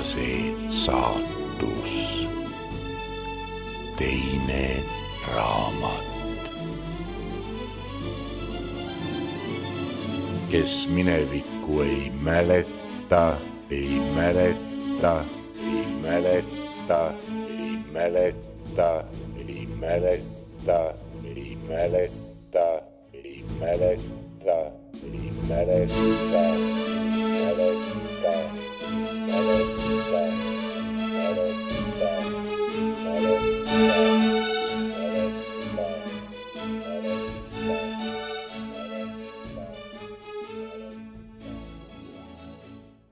see saatus, teine raamat. Kes minevikku ei mäleta, ei mäleta, ei mäleta, ei mäleta, ei mäleta, ei mäleta, ei mäleta, ei mäleta,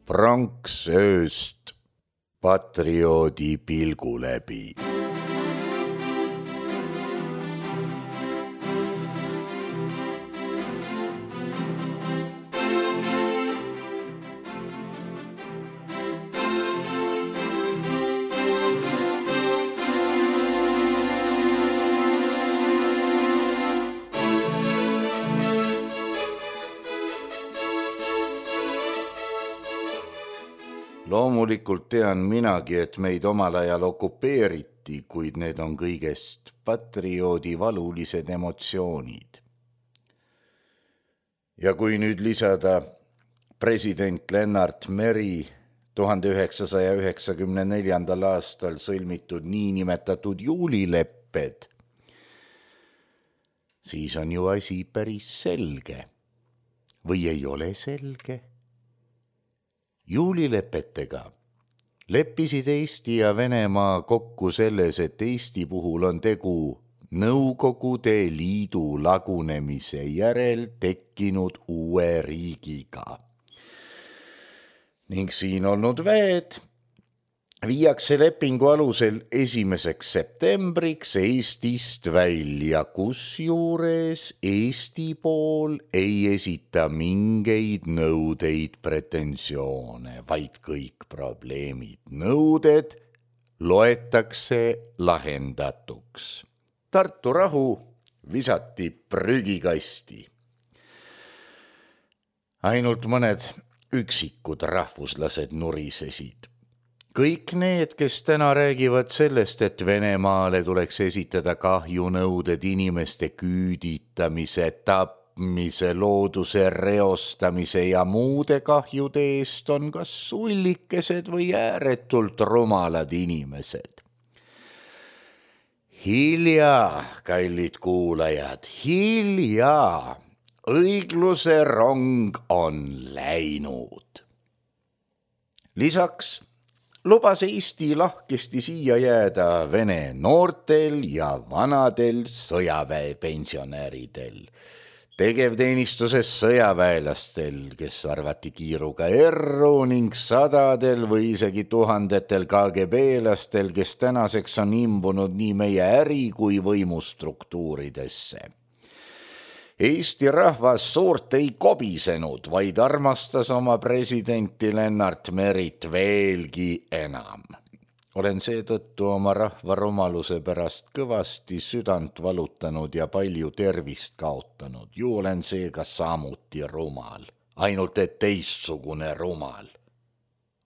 Pronks ööst patrioodi pilgu läbi. Loomulikult tean minagi, et meid omal ajal okupeeriti, kuid need on kõigest patrioodi valulised emotsioonid. Ja kui nüüd lisada president Lennart Meri 1994. aastal sõlmitud niinimetatud juulilepped, siis on ju asi päris selge. Või ei ole selge? Juulilepetega leppisid Eesti ja Venemaa kokku selles, et Eesti puhul on tegu Nõukogude Liidu lagunemise järel tekkinud uue riigiga. Ning siin olnud väed viiakse lepingu alusel 1. septembriks Eestist välja, kusjuures Eesti pool ei esita mingeid nõudeid, pretensioone, vaid kõik probleemid, nõuded loetakse lahendatuks. Tartu rahu visati prügikasti. Ainult mõned üksikud rahvuslased nurisesid. Kõik need, kes täna räägivad sellest, et Venemaale tuleks esitada kahjunõuded inimeste küüditamise, tapmise, looduse reostamise ja muude kahjude eest, on kas sullikesed või ääretult rumalad inimesed. Hilja, kallid kuulajad, hilja, õigluse rong on läinud. Lisaks lubas Eesti lahkesti siia jääda Vene noortel ja vanadel sõjaväepensionäridel, tegevteenistuses sõjaväelastel, kes arvati kiiruga erru, ning sadadel või isegi tuhandetel KGB-lastel, kes tänaseks on imbunud nii meie äri- kui võimustruktuuridesse. Eesti rahvas suurt ei kobisenud, vaid armastas oma presidenti Lennart Merit veelgi enam. Olen seetõttu oma rahva rumaluse pärast kõvasti südant valutanud ja palju tervist kaotanud. Ju olen seega samuti rumal, ainult et teistsugune rumal.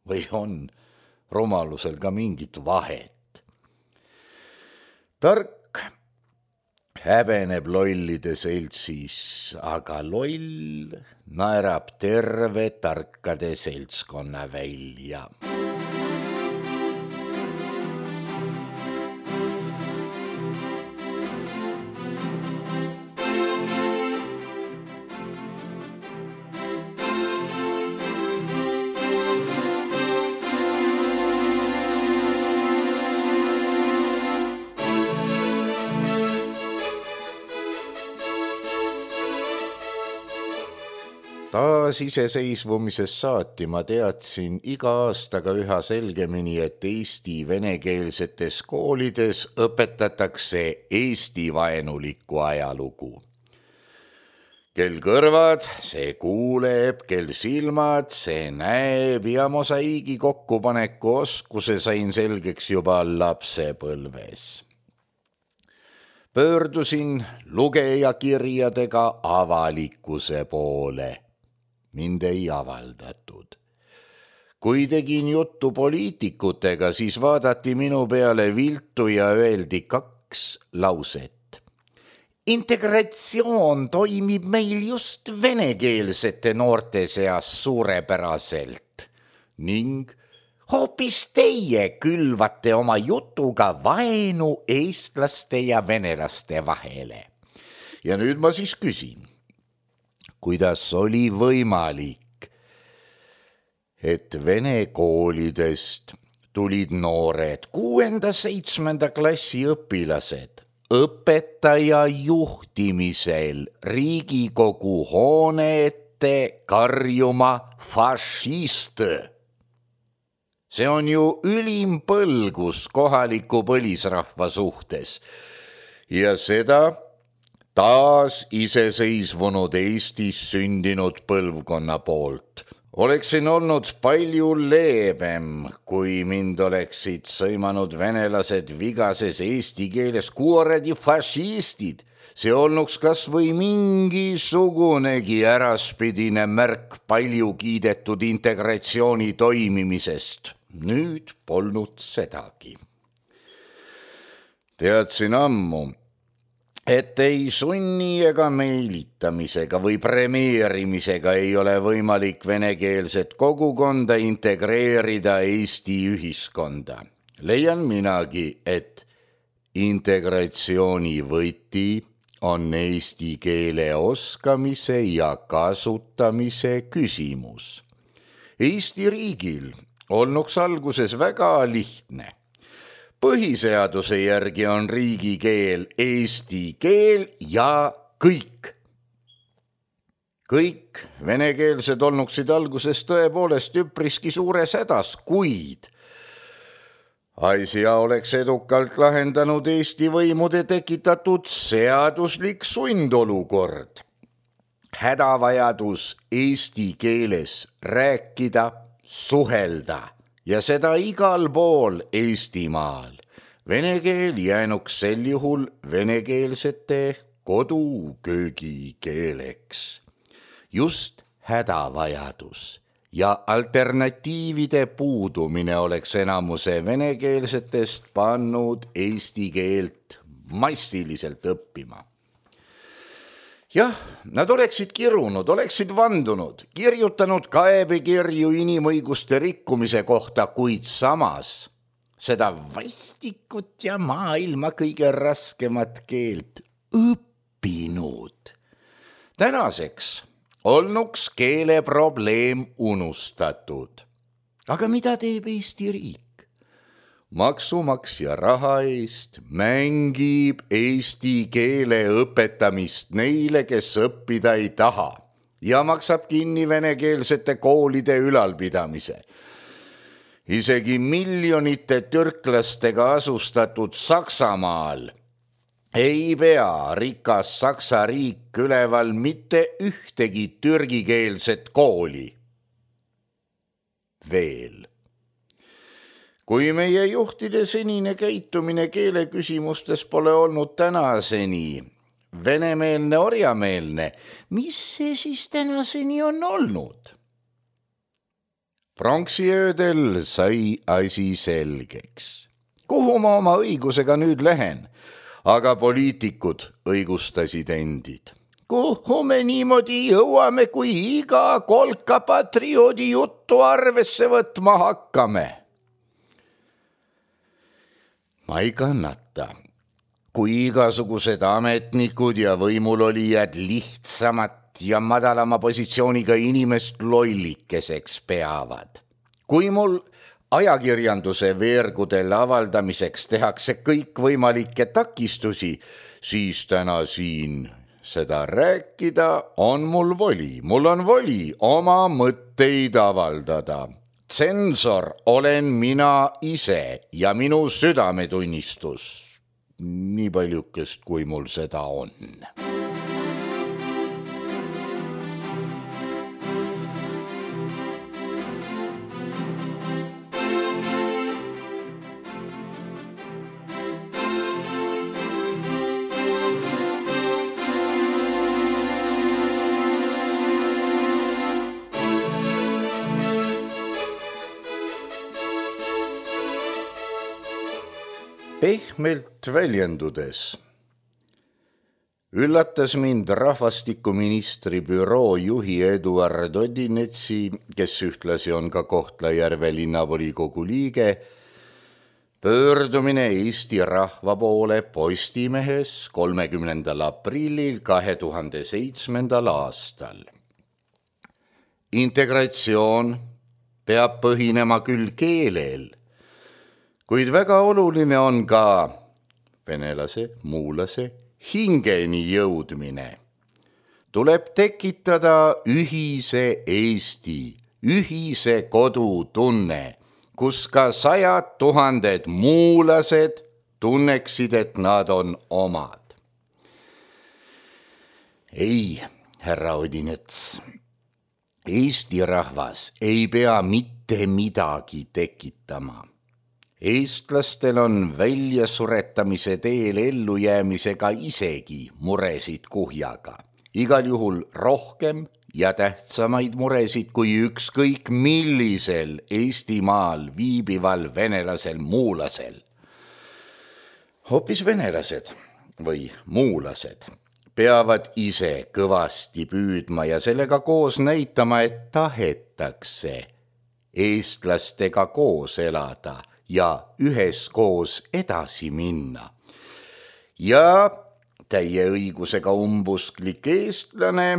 Või on rumalusel ka mingit vahet? Tark häbeneb lollide seltsis, aga loll naerab terve tarkade seltskonna välja. Taas iseseisvumisest saati ma teadsin iga aastaga üha selgemini, et Eesti venekeelsetes koolides õpetatakse Eesti-vaenulikku ajalugu. Kel kõrvad, see kuuleb, kel silmad, see näeb ja mosaiigi kokkupaneku oskuse sain selgeks juba lapsepõlves. Pöördusin lugejakirjadega avalikkuse poole. Mind ei avaldatud. Kui tegin juttu poliitikutega, siis vaadati minu peale viltu ja öeldi 2 lauset. Integratsioon toimib meil just venekeelsete noorte seas suurepäraselt ning hoopis teie külvate oma jutuga vaenu eestlaste ja venelaste vahele. Ja nüüd ma siis küsin, kuidas oli võimalik, et vene koolidest tulid noored 6.–7. klassi õpilased õpetaja juhtimisel Riigikogu hoone ette karjuma fašist. See on ju ülim põlgus kohaliku põlisrahva suhtes ja seda taas iseseisvunud Eestis sündinud põlvkonna poolt. Oleksin olnud palju leebem, kui mind oleksid sõimanud venelased vigases eesti keeles kuoredi fašistid. See olnuks kas või mingisugunegi äraspidine märk palju kiidetud integratsiooni toimimisest. Nüüd polnud sedagi. Teadsin ammu, et ei sunni ega meelitamisega või premeerimisega ei ole võimalik venekeelset kogukonda integreerida Eesti ühiskonda. Leian minagi, et integratsiooni võti on eesti keele oskamise ja kasutamise küsimus. Eesti riigil olnuks alguses väga lihtne. Põhiseaduse järgi on riigikeel eesti keel ja kõik. Kõik venekeelsed olnuksid alguses tõepoolest üpriski suures hädas, kuid asja oleks edukalt lahendanud Eesti võimude tekitatud seaduslik sundolukord. Hädavajadus eesti keeles rääkida, suhelda ja seda igal pool Eestimaal. Vene keel jäänuks sel juhul venekeelsete koduköögikeeleks. Just hädavajadus ja alternatiivide puudumine oleks enamuse venekeelsetest pannud eesti keelt massiliselt õppima. Jah, nad oleksid kirunud, oleksid vandunud, kirjutanud kaebekirju inimõiguste rikkumise kohta, kuid samas seda vastikut ja maailma kõige raskemat keelt õppinud. Tänaseks olnuks keeleprobleem unustatud. Aga mida teeb Eesti riik? Maksumaksja raha eest mängib eesti keele õpetamist neile, kes õppida ei taha ja maksab kinni venekeelsete koolide ülalpidamise. Isegi miljonite türklastega asustatud Saksamaal ei pea rikas Saksa riik üleval mitte ühtegi türgikeelset kooli. Veel. Kui meie juhtide senine käitumine keeleküsimustes pole olnud tänaseni venemeelne, orjameelne, mis see siis tänaseni on olnud? Pronksiöödel sai asi selgeks. Kuhu ma oma õigusega nüüd lähen? Aga poliitikud õigustasid endid. Kuhu me niimoodi jõuame, kui iga kolka patrioodi juttu arvesse võtma hakkame? Ma ei kannata, kui igasugused ametnikud ja võimulolijad lihtsamat ja madalama positsiooniga inimest lollikeseks peavad. Kui mul ajakirjanduse veergudel avaldamiseks tehakse kõikvõimalikke takistusi, siis täna siin seda rääkida on mul voli. Mul on voli oma mõtteid avaldada. Tsensor olen mina ise ja minu südametunnistus, nii paljukest kui mul seda on. Pehmelt väljendudes üllatas mind rahvastikuministri büroo juhi Eduard Odinetsi, kes ühtlasi on ka Kohtla-Järve linnavolikogu liige, pöördumine Eesti rahva poole Postimehes 30. aprillil 2007. aastal. Integratsioon peab põhinema küll keelel, kuid väga oluline on ka venelase, muulase hingeni jõudmine. Tuleb tekitada ühise Eesti, ühise kodutunne, kus ka 100 000 muulased tunneksid, et nad on omad. Ei, härra Odinets, Eesti rahvas ei pea mitte midagi tekitama. Eestlastel on väljasuretamise teel ellujäämisega isegi muresid kuhjaga. Igal juhul rohkem ja tähtsamaid muresid kui ükskõik millisel Eestimaal viibival venelasel muulasel. Hoopis venelased või muulased peavad ise kõvasti püüdma ja sellega koos näitama, et tahetakse eestlastega koos elada ja üheskoos edasi minna. Ja täie õigusega umbusklik eestlane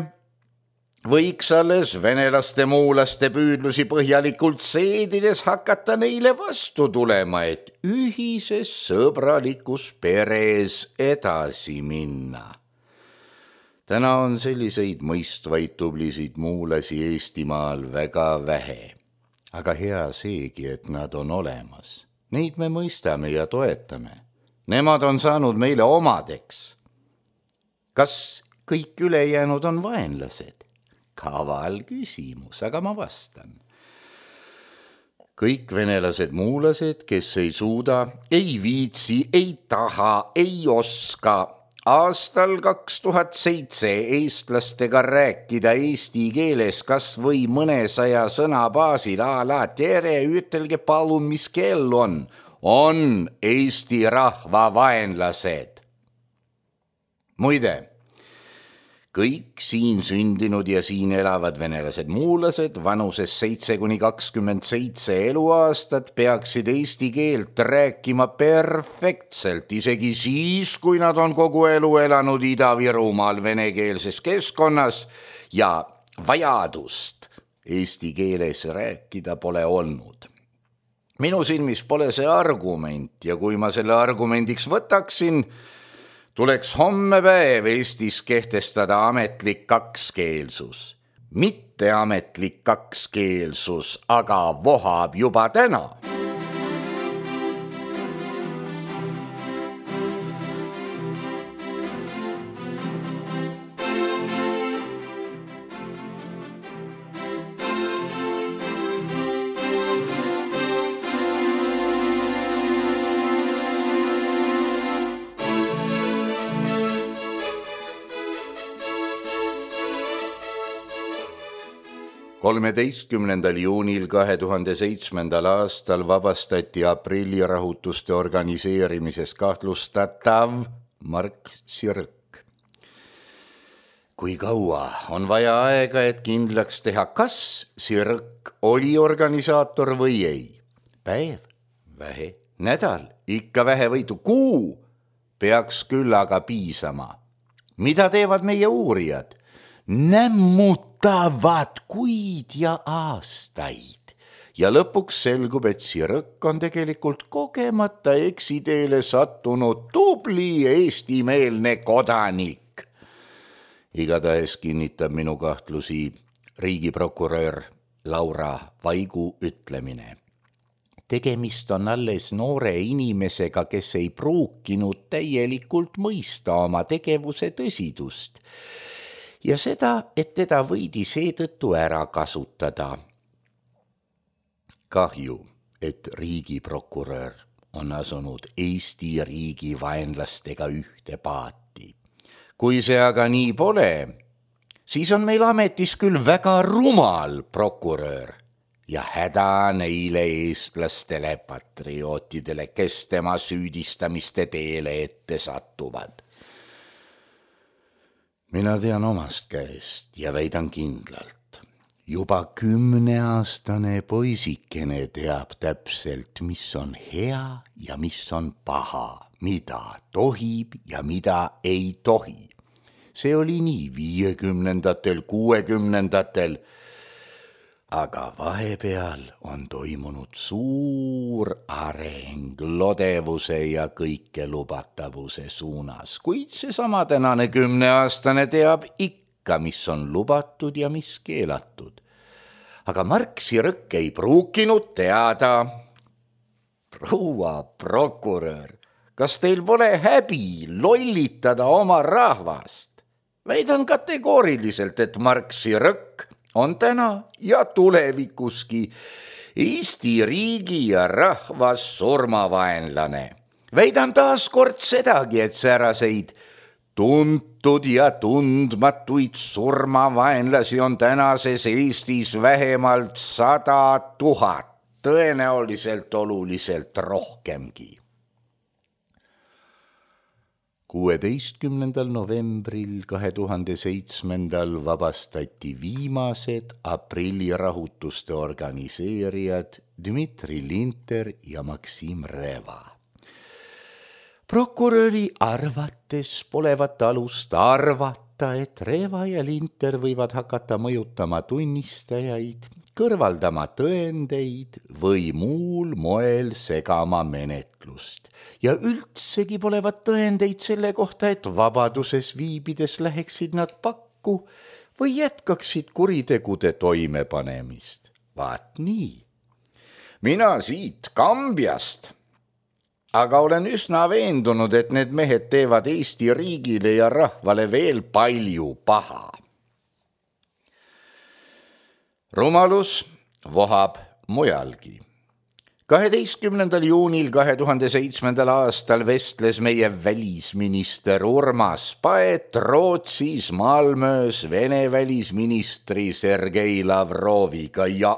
võiks alles venelaste muulaste püüdlusi põhjalikult seedides hakata neile vastu tulema, et ühises sõbralikus peres edasi minna. Täna on selliseid mõistvaid tublisid muulasi Eestimaal väga vähe. Aga hea seegi, et nad on olemas. Neid me mõistame ja toetame. Nemad on saanud meile omadeks. Kas kõik ülejäänud on vaenlased? Kaval küsimus, aga ma vastan. Kõik venelased muulased, kes ei suuda, ei viitsi, ei taha, ei oska aastal 2007 eestlastega rääkida eesti keeles kas või mõnesaja sõna baasil la tere, ütelge palun, mis kell on Eesti rahva vaenlased. Muide, kõik siin sündinud ja siin elavad venelased muulased vanuses 7–27 eluaastat peaksid eesti keelt rääkima perfektselt, isegi siis, kui nad on kogu elu elanud Ida-Virumaal venekeelses keskkonnas ja vajadust eesti keeles rääkida pole olnud. Minu silmis pole see argument ja kui ma selle argumendiks võtaksin, tuleks homme päev Eestis kehtestada ametlik kakskeelsus. Mitte ametlik kakskeelsus, aga vohab juba täna. Kolmeteistkümnendal juunil 2007. aastal vabastati aprillirahutuste organiseerimises kahtlustatav Mark Sirk. Kui kaua on vaja aega, et kindlaks teha, kas Sirk oli organisaator või ei? Päev, vähe, nädal, ikka vähevõitu, kuu peaks küll aga piisama. Mida teevad meie uurijad? Nämmutavad kuid ja aastaid ja lõpuks selgub, et Sirk on tegelikult kogemata eksiteele sattunud tubli eestimeelne kodanik. Igatahes kinnitab minu kahtlusi riigiprokurör Laura Vaigu ütlemine. Tegemist on alles noore inimesega, kes ei pruukinud täielikult mõista oma tegevuse tõsidust ja seda, et teda võidi seetõttu ära kasutada. Kahju, et riigiprokurör on asunud Eesti riigi vaenlastega ühte paati. Kui see aga nii pole, siis on meil ametis küll väga rumal prokurör ja häda neile eestlastele patriootidele, kes tema süüdistamiste teele ette satuvad. Mina tean omast käest ja väidan kindlalt, juba 10-aastane poisikene teab täpselt, mis on hea ja mis on paha, mida tohib ja mida ei tohi. See oli nii 50-ndatel, 60-ndatel, aga vahepeal on toimunud suur areng lodevuse ja kõikelubatavuse suunas, kuid seesama tänane 10-aastane teab ikka, mis on lubatud ja mis keelatud. Aga Marksi Rõkk ei pruukinud teada. Proua prokurör, kas teil pole häbi lollitada oma rahvast? Väidan kategooriliselt, et Marksi Rõkk on täna ja tulevikuski Eesti riigi ja rahvas surmavaenlane. Väidan taas kord sedagi, et sääraseid tuntud ja tundmatuid surmavaenlasi on tänases Eestis vähemalt 100 000, tõenäoliselt oluliselt rohkemgi. 16. novembril 2007 vabastati viimased aprillirahutuste organiseerijad Dmitri Linter ja Maksim Reva. Prokuröri arvates polevat alust arvata, et Reva ja Linter võivad hakata mõjutama tunnistajaid, kõrvaldama tõendeid või muul moel segama menetlust. Ja üldsegi polevat tõendeid selle kohta, et vabaduses viibides läheksid nad pakku või jätkaksid kuritegude toimepanemist. Vaat nii. Mina siit Kambjast, aga olen üsna veendunud, et need mehed teevad Eesti riigile ja rahvale veel palju paha. Rumalus vohab mujalgi. 12. juunil 2007. aastal vestles meie välisminister Urmas Paet Rootsis Malmöös Vene välisministri Sergei Lavroviga ja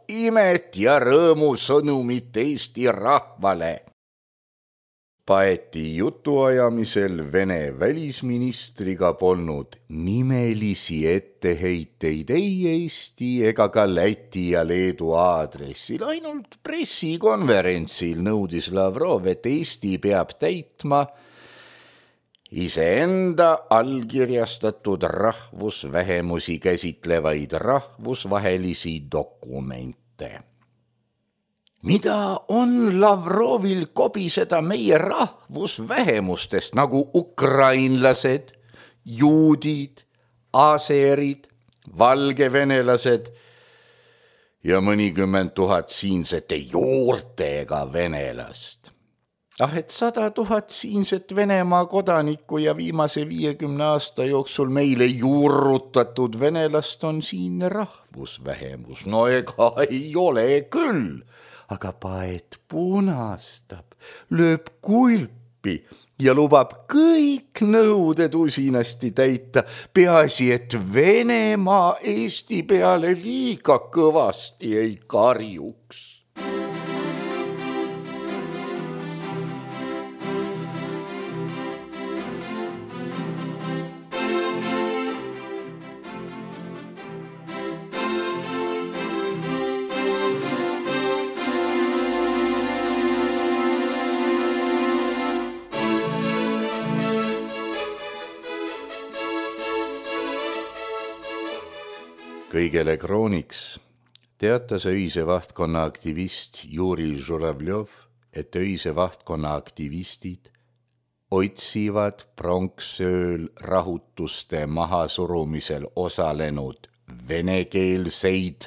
imet ja rõõmu sõnumit Eesti rahvale. Paeti jutuajamisel Vene välisministriga polnud nimelisi etteheiteid ei Eesti ega ka Läti ja Leedu aadressil, ainult pressikonverentsil nõudis Lavrov, et Eesti peab täitma iseenda allkirjastatud rahvusvähemusi käsitlevaid rahvusvahelisi dokumente. Mida on Lavrovil kobiseda meie rahvusvähemustest nagu ukrainlased, juudid, aserid, valgevenelased ja mõnikümmend 000 siinsete juurtega venelast? Et 100 000 siinset Venemaa kodanikku ja viimase 50 aasta jooksul meile juurrutatud venelast on siinne rahvusvähemus. No ega ei ole küll. Aga Paet punastab, lööb kulpi ja lubab kõik nõuded usinasti täita, peaasi, et Venemaa Eesti peale liiga kõvasti ei karjuks. Kõigele krooniks teatas öise vahtkonna aktivist Juri Žuravljov, et öise vahtkonna aktivistid otsivad pronksööl rahutuste mahasurumisel osalenud venekeelseid,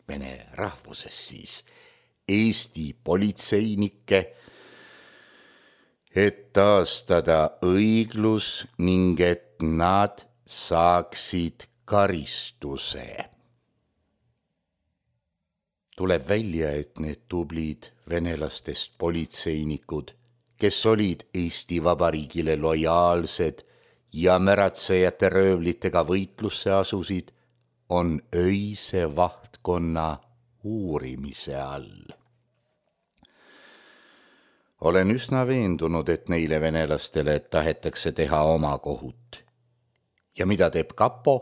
vene rahvuses siis, Eesti politseinikke, et taastada õiglus ning et nad saaksid karistuse. Tuleb välja, et need tublid venelastest politseinikud, kes olid Eesti Vabariigile lojaalsed ja märatsejate röövlitega võitlusse asusid, on öise vahtkonna uurimise all. Olen üsna veendunud, et neile venelastele tahetakse teha oma kohut. Ja mida teeb kapo?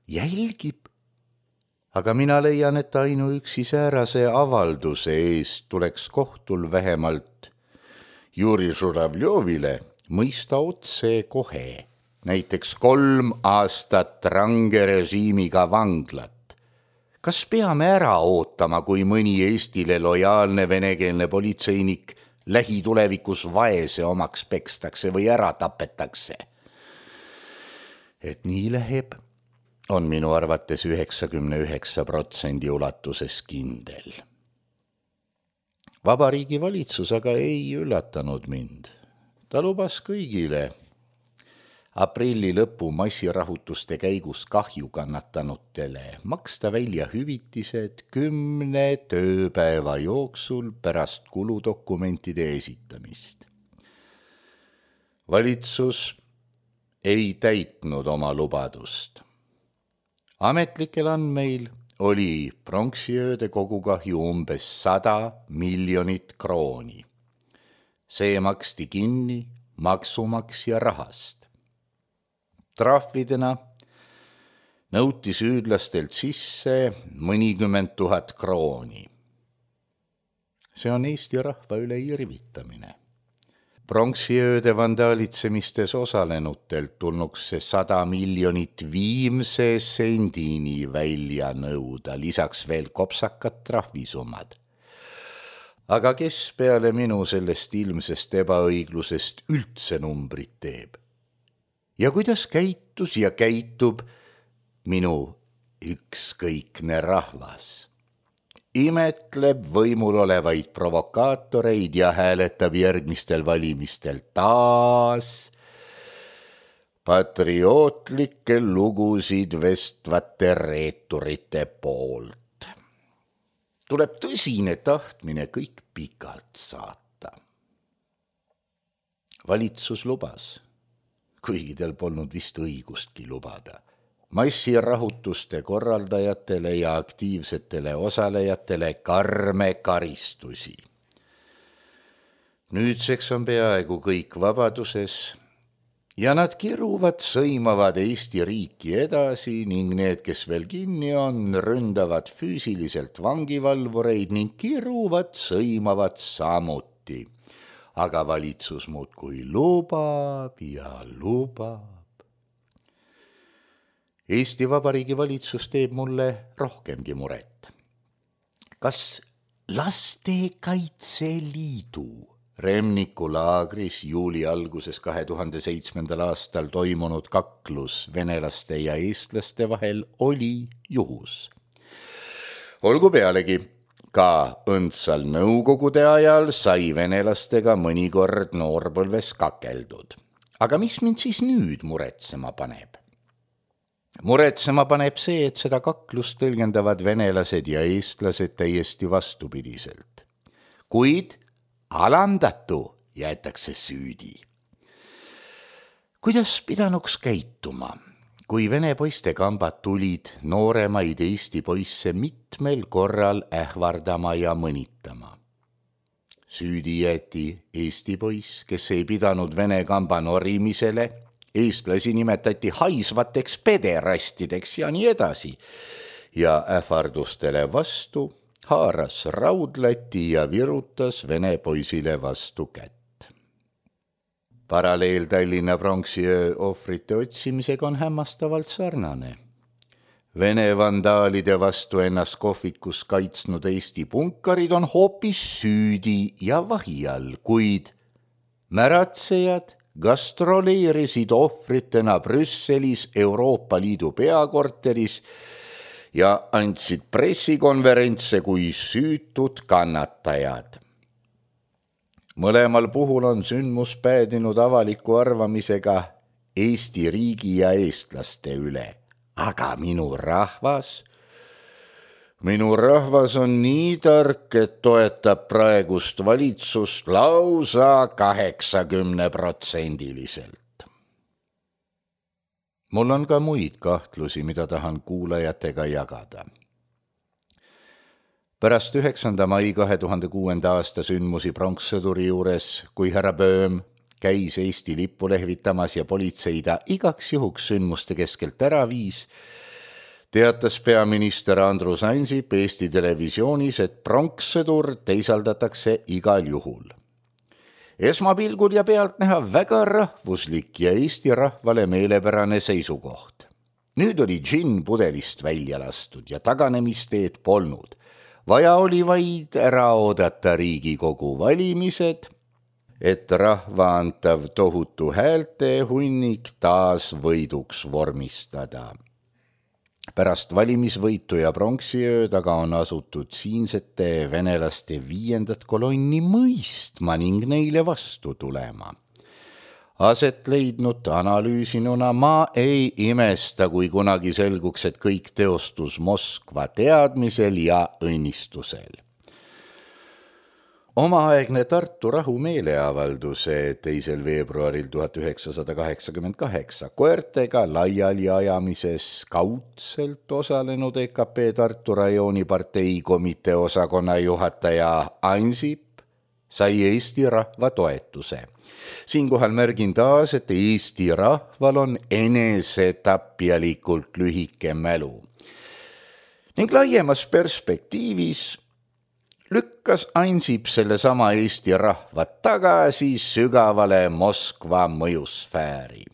Jälgib. Aga mina leian, et ainuüksi säärase avalduse eest tuleks kohtul vähemalt Juri Žuravljovile mõista otse kohe, näiteks 3 aastat range režiimiga vanglat. Kas peame ära ootama, kui mõni Eestile lojaalne venekeelne politseinik lähitulevikus vaese omaks pekstakse või ära tapetakse? Et nii läheb, on minu arvates 99% ulatuses kindel. Vabariigi valitsus aga ei üllatanud mind. Ta lubas kõigile aprilli lõpu massirahutuste käigus kahju kannatanutele maksta välja hüvitised 10 tööpäeva jooksul pärast kuludokumentide esitamist. Valitsus ei täitnud oma lubadust. Ametlikel andmeil oli pronksiööde kogukahju umbes 100 miljonit krooni. See maksti kinni maksumaksja rahast. Trahvidena nõuti süüdlastelt sisse mõnikümmend 000 krooni. See on Eesti rahva üle irvitamine. Pronksiööde vandaalitsemistes osalenutelt tulnuks see 100 miljonit viimse sendini välja nõuda, lisaks veel kopsakad trahvisummad. Aga kes peale minu sellest ilmsest ebaõiglusest üldse numbrit teeb? Ja kuidas käitus ja käitub minu ükskõikne rahvas? Imetleb võimul olevaid provokaatoreid ja hääletab järgmistel valimistel taas patriootlikke lugusid vestvate reeturite poolt. Tuleb tõsine tahtmine kõik pikalt saata. Valitsus lubas, kuigi tal polnud vist õigustki lubada, massirahutuste korraldajatele ja aktiivsetele osalejatele karme karistusi. Nüüdseks on peaaegu kõik vabaduses ja nad kiruvad, sõimavad Eesti riiki edasi ning need, kes veel kinni on, ründavad füüsiliselt vangivalvureid ning kiruvad, sõimavad samuti. Aga valitsus muudkui lubab ja lubab. Eesti Vabariigi valitsus teeb mulle rohkemgi muret. Kas Lastekaitse Liidu Remniku laagris juuli alguses 2007. aastal toimunud kaklus venelaste ja eestlaste vahel oli juhus? Olgu pealegi, ka õndsal nõukogude ajal sai venelastega mõnikord noorpõlves kakeldud. Aga mis mind siis nüüd muretsema paneb? Muretsema paneb see, et seda kaklust tõlgendavad venelased ja eestlased täiesti vastupidiselt. Kuid alandatu jäetakse süüdi. Kuidas pidanuks käituma, kui vene poistekambad tulid nooremaid Eesti poisse mitmel korral ähvardama ja mõnitama? Süüdi jäeti Eesti poiss, kes ei pidanud vene kamba norimisele, eestlasi nimetati haisvateks pederastideks ja nii edasi. Ja ähvardustele vastu haaras raudlati ja virutas vene poisile vastu kätt. Paralleel Tallinna pronksiöö ohvrite otsimisega on hämmastavalt sarnane. Vene vandaalide vastu ennast kohvikus kaitsnud Eesti punkarid on hoopis süüdi ja vahi all, kuid märatsejad gastroleerisid ohvritena Brüsselis Euroopa Liidu peakorteris ja andsid pressikonverentse kui süütud kannatajad. Mõlemal puhul on sündmus päädinud avaliku arvamisega Eesti riigi ja eestlaste üle. Aga minu rahvas on nii tark, et toetab praegust valitsust lausa 80%. Mul on ka muid kahtlusi, mida tahan kuulajatega jagada. Pärast 9. mai 2006. aasta sündmusi pronkssõduri juures, kui härra Böhm käis Eesti lippu lehvitamas ja politsei ta igaks juhuks sündmuste keskelt ära viis, teatas peaminister Andrus Ansip Eesti Televisioonis, et pronkssõdur teisaldatakse igal juhul. Esmapilgul ja pealtnäha väga rahvuslik ja Eesti rahvale meelepärane seisukoht. Nüüd oli džinn pudelist välja lastud ja taganemisteed polnud. Vaja oli vaid ära oodata Riigikogu valimised, et rahva antav tohutu häälte hunnik taas võiduks vormistada. Pärast valimisvõitu ja pronksiööd aga on asutud siinsete venelaste 5. kolonni mõistma ning neile vastu tulema. Aset leidnud analüüsinuna ma ei imesta, kui kunagi selguks, et kõik teostus Moskva teadmisel ja õnnistusel. Omaaegne Tartu rahumeeleavalduse 2. veebruaril 1988 koertega laiali ajamises kaudselt osalenud EKP Tartu rajooni partei komitee osakonna juhataja Ansip sai Eesti rahva toetuse. Siinkohal märgin taas, et Eesti rahval on enesetapjalikult lühike mälu. Ning laiemas perspektiivis lükkas Ansip selle sama Eesti rahva tagasi sügavale Moskva mõjusfääri.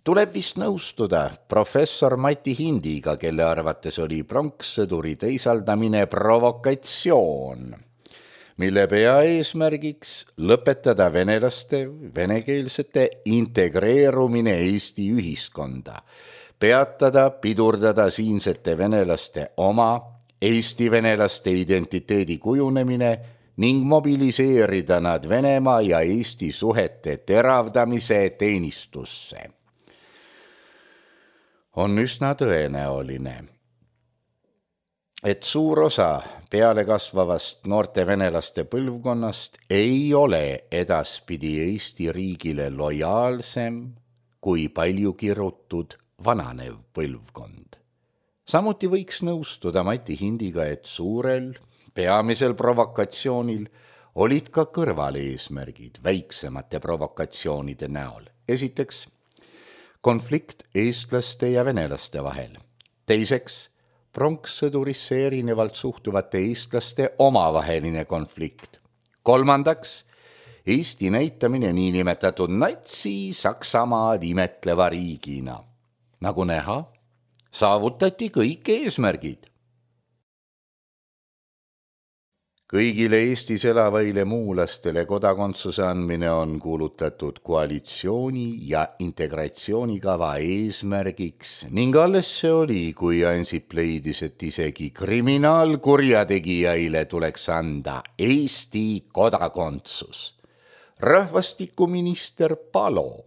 Tuleb vist nõustuda professor Mati Hindiga, kelle arvates oli pronkssõduri teisaldamine provokatsioon, mille peaeesmärgiks lõpetada venelaste venekeelsete integreerumine Eesti ühiskonda, peatada, pidurdada siinsete venelaste oma Eesti venelaste identiteedi kujunemine ning mobiliseerida nad Venemaa ja Eesti suhete teravdamise teenistusse. On üsna tõenäoline, et suur osa pealekasvavast noorte venelaste põlvkonnast ei ole edaspidi Eesti riigile lojaalsem kui palju kirutud vananev põlvkond. Samuti võiks nõustuda Mati Hindiga, et suurel, peamisel provokatsioonil olid ka kõrvaleesmärgid väiksemate provokatsioonide näol. Esiteks, konflikt eestlaste ja venelaste vahel. Teiseks, pronkssõdurisse erinevalt suhtuvate eestlaste omavaheline konflikt. Kolmandaks, Eesti näitamine niinimetatud natsi-Saksamaad imetleva riigina. Nagu näha, saavutati kõik eesmärgid. Kõigile Eestis elavaile muulastele kodakondsuse andmine on kuulutatud koalitsiooni ja integratsioonikava eesmärgiks ning alles see oli, kui Ansip leidis, et isegi kriminaalkurjategijaile tuleks anda Eesti kodakondsus. Rahvastikuminister Palo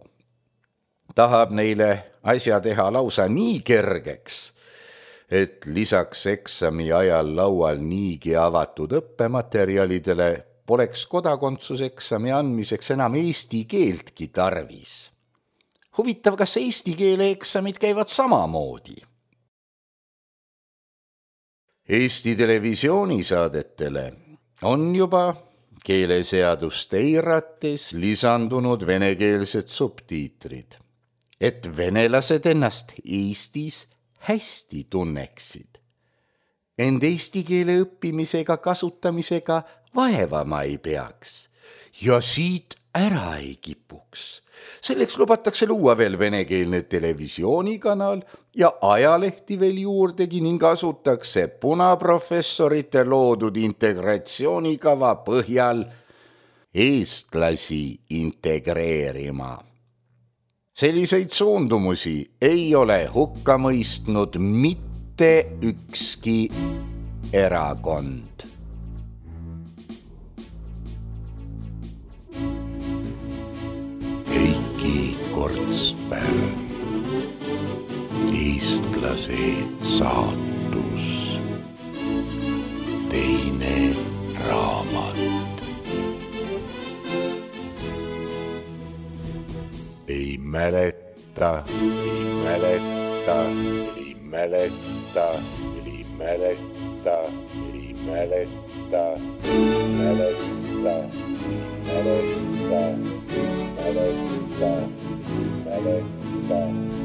tahab neile asja teha lausa nii kergeks, et lisaks eksami ajal laual niigi avatud õppematerjalidele poleks kodakondsuseksami andmiseks enam eesti keeltki tarvis. Huvitav, kas eesti keele eksamid käivad samamoodi? Eesti televisioonisaadetele on juba keeleseadust eirates lisandunud venekeelsed subtiitrid, et venelased ennast Eestis hästi tunneksid. End eesti keele õppimisega kasutamisega vaevama ei peaks ja siit ära ei kipuks. Selleks lubatakse luua veel venekeelne televisioonikanal ja ajalehti veel juurdegi ning asutakse punaprofessorite loodud integratsioonikava põhjal eestlasi integreerima. Selliseid suundumusi ei ole hukka mõistnud mitte ükski erakond. Heiki Kortsberg, eestlase saatus, teine raamat. Ei mäleta, ei mäleta, ei mäleta, ei mäleta, ei mäleta, mäleta, mäleta, mäleta, mäleta.